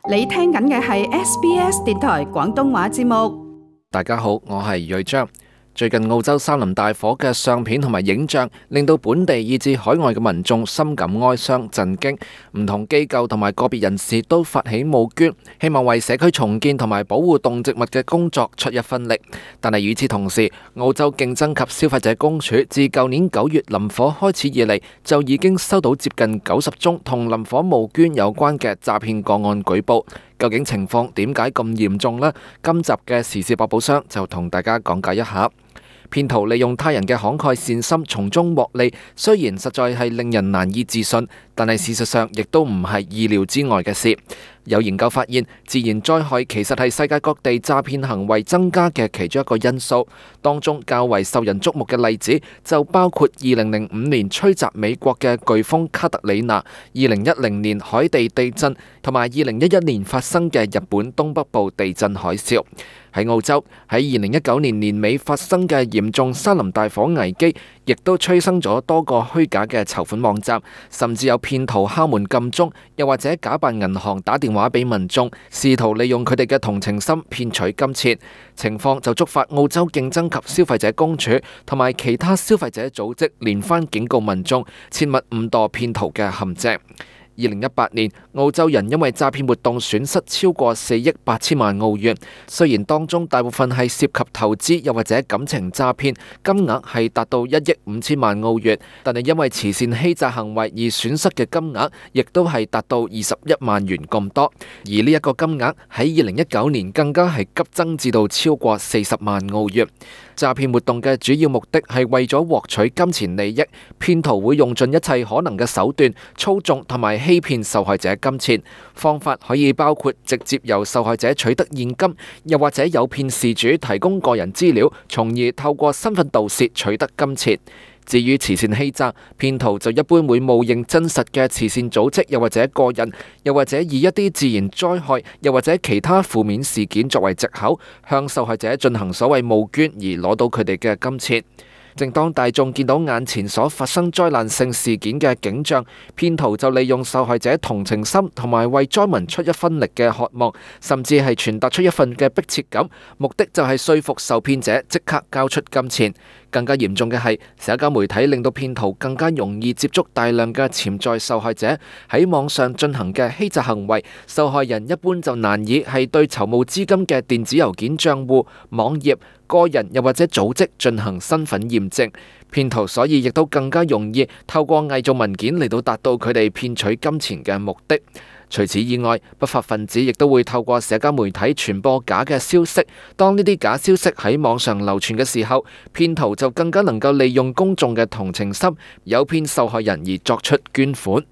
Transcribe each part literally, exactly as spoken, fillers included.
你聽緊嘅係 S B S 電台廣東話節目。大家好，我係瑞章。最近澳洲山林大火嘅相片同埋影像，令到本地以至海外嘅民眾深感哀傷震驚。唔同機構同埋個別人士都發起募捐，希望為社區重建同埋保護動植物嘅工作出一分力。但係與此同時，澳洲競爭及消費者公署自舊年九月林火開始以嚟，就已經收到接近九十宗同林火募捐有關嘅詐騙個案舉報。究竟情況點解咁嚴重呢？今集嘅時事百寶箱就同大家講解一下。騙徒利用他人嘅慷慨善心從中獲利，雖然實在係令人難以置信，但係事實上亦都唔係意料之外嘅事。有研究發現，自然災害其實係世界各地詐騙行為增加嘅其中一個因素。當中較為受人矚目嘅例子就包括二零零五年吹襲美國嘅颶風卡特里娜、二零一零年海地地震同埋二零一一年發生嘅日本東北部地震海嘯。喺澳洲，喺二零一九年年尾發生嘅嚴重山林大火危機，亦都催生咗多個虛假嘅籌款網站，甚至有騙徒敲門撳鐘，又或者假扮銀行打電話俾民眾，試圖利用佢哋嘅同情心騙取金錢。情況就觸發澳洲競爭及消費者公署同埋其他消費者組織連番警告民眾，切勿誤墮騙徒嘅陷阱。二零一八年，澳洲人因為詐騙活動損失超過四億八千萬澳元。雖然當中大部分係涉及投資又或者感情詐騙，金額係達到一億五千萬澳元，但係因為慈善欺詐行為而損失嘅金額，亦都係達到二十一萬元咁多。而呢一個金額喺二零一九年更加係急增至到超過四十萬澳元。詐騙活動嘅主要目的係為咗獲取金錢利益，騙徒會用盡一切可能嘅手段操縱同埋欺騙受害者金錢。方法可以包括直接由受害者取得現金，又或者誘騙事主提供個人資料，從而透過身份盜竊取得金錢。至於慈善欺詐，騙徒就一般會冒認真實嘅慈善組織，又或者個人，又或者以一啲自然災害，又或者其他負面事件作為藉口，向受害者進行所謂募捐而攞到佢哋嘅金錢。正當大眾見到眼前所發生災難性事件嘅景象，騙徒就利用受害者同情心同埋為災民出一分力嘅渴望，甚至係傳達出一份嘅迫切感，目的就係說服受騙者即刻交出金錢。更加嚴重嘅係，社交媒體令到騙徒更加容易接觸大量嘅潛在受害者，喺網上進行嘅欺詐行為，受害人一般就難以係對籌募資金嘅電子郵件賬戶、網頁、個人又或者組織進行身份驗證。騙徒所以亦都更加容易透過偽造文件嚟到達到佢哋騙取金錢嘅目的。除此以外，不法分子亦都會透過社交媒體傳播假嘅消息。當呢啲假消息喺網上流傳嘅時候，騙徒就更加能夠利用公眾嘅同情心，誘騙受害人而作出捐款。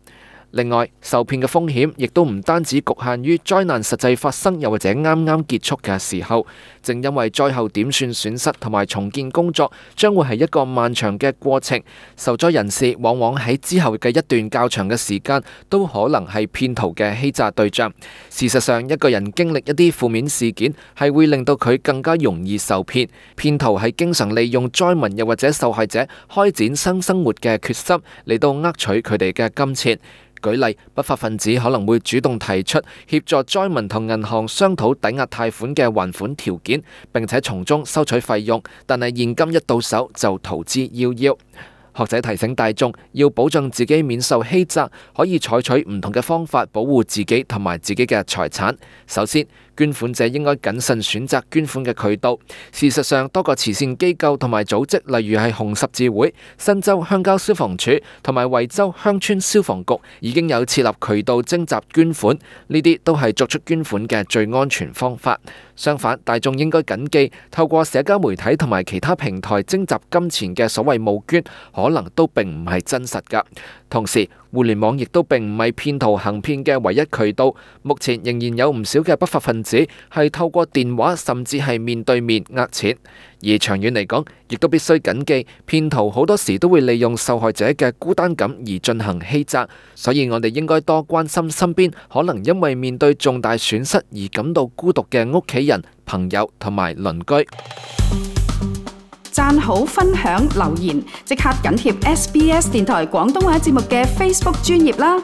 另外，受騙嘅風險亦都唔單止局限於災難實際發生又或者啱啱結束嘅時候，正因為災後點算損失同埋重建工作將會係一個漫長嘅過程，受災人士往往喺之後嘅一段較長嘅時間都可能係騙徒嘅欺詐對象。事實上，一個人經歷一啲負面事件係會令到佢更加容易受騙。騙徒係經常利用災民又或者受害者開展新生活嘅決心嚟到呃取佢哋嘅金錢。舉例，不法分子可能會主動提出協助災民同銀行商討抵押貸款嘅還款條件，並且從中收取費用，但係現金一到手就逃之夭夭。學者提醒大眾，要保障自己免受欺詐，可以採取唔同嘅方法保護自己同埋自己嘅財產。首先，捐款者應該謹慎選擇捐款嘅渠道。事實上，多個慈善機構同埋組織，例如係紅十字會、新州鄉郊消防處同埋維州鄉村消防局，已經有設立渠道徵集捐款。呢啲都係作出捐款嘅最安全方法。相反，大眾應該謹記，透過社交媒體同埋其他平台徵集金錢嘅所謂募捐，可能都並唔係真實㗎。同時，互聯網亦都並唔係騙徒行騙嘅唯一渠道。目前仍然有唔少嘅不法分子係透過電話甚至係面對面呃錢。而長遠嚟講，亦都必須謹記，騙徒好多時都會利用受害者嘅孤單感而進行欺詐。所以我哋應該多關心身邊可能因為面對重大損失而感到孤獨嘅屋企人、朋友同埋鄰居。讚好、分享、留言，即刻緊貼 S B S 電台廣東話節目嘅 Facebook 專頁啦！